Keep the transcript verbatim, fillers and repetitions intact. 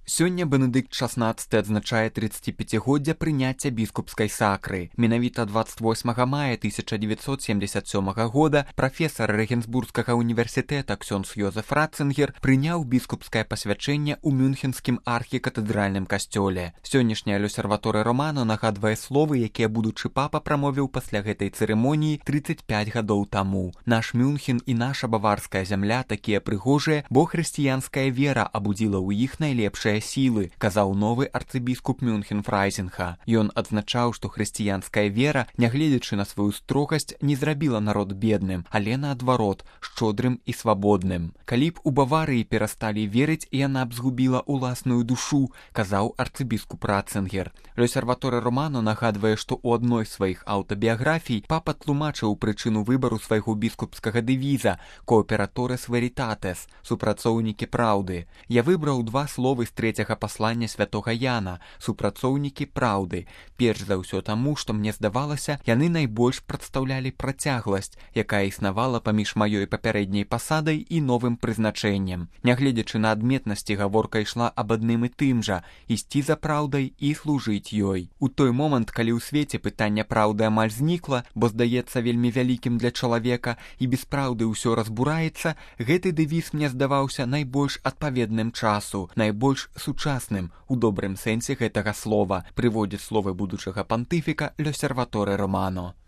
Сёння Бенедыкт шаснаццаты адзначае трыццаціпяцігоддзя прыняцця біскупскай сакры. Менавіта дваццаць восьмага мая тысяча дзевяцьсот семдзесят сёмага года прафесар Рэгенсбургскага універсітэта ксёндз Йозеф Ратцынгер прыняў біскупскае пасвячэнне ў мюнхенскім архікатэдральным касцёле. Сённяшняя Лёсерваторы Романо нагадвае словы, якія будучы папа прамовіў пасля гэтай цырымоніі трыццаць пяць гадоў таму. Наш Мюнхен і наша баварская зямля такія прыгожыя, бо хрысціянская вера абудзіла ў іх найлепшае сілы, казаў новы арцыбіскуп Мюнхен-Фрайзенха. Ён адзначаў, што хрысціянская вера, нягледзячы на сваю строгасць, не зрабіла народ бедным, але наадварот, шчодрым і свабодным. Калі б у Баварыі перасталі верыць, яна б згубіла ўласную душу, казаў арцыбіскуп Ратцынгер. Лёсерваторы Романо нагадвае, што ў адной з сваіх аўтабіяграфій папа тлумачыў прычыну выбару свайго біскупскага дэвіза «Кооператорес веритатес» – «Супрацоўнікі праўды». Я выбраў два словы з трэцяга паслання святога Яна – «Супрацоўнікі праўды». Перш за ўсё таму, што мне здавалася, яны найбольш прадстаўлялі працягласць, якая існавала паміж маёй папярэдняй пасадай і новым прызначэннем. Нягледзячы на адметнасці, гаворка ішла аб адным і тым жа – ісці за праўдай і служыць ёй. У той момант, калі ў свеце пытання праўды амаль знікла, бо здаецца вельмі вялікім для чалавека і без праўды ўсё разбураецца, гэты дэвіз мне здаваўся найбольш адпаведным часу, найбольш сучасным у добрым сэнсе гэтага слова, прыводзіць словы будучага пантыфіка Лёсерваторы Романо.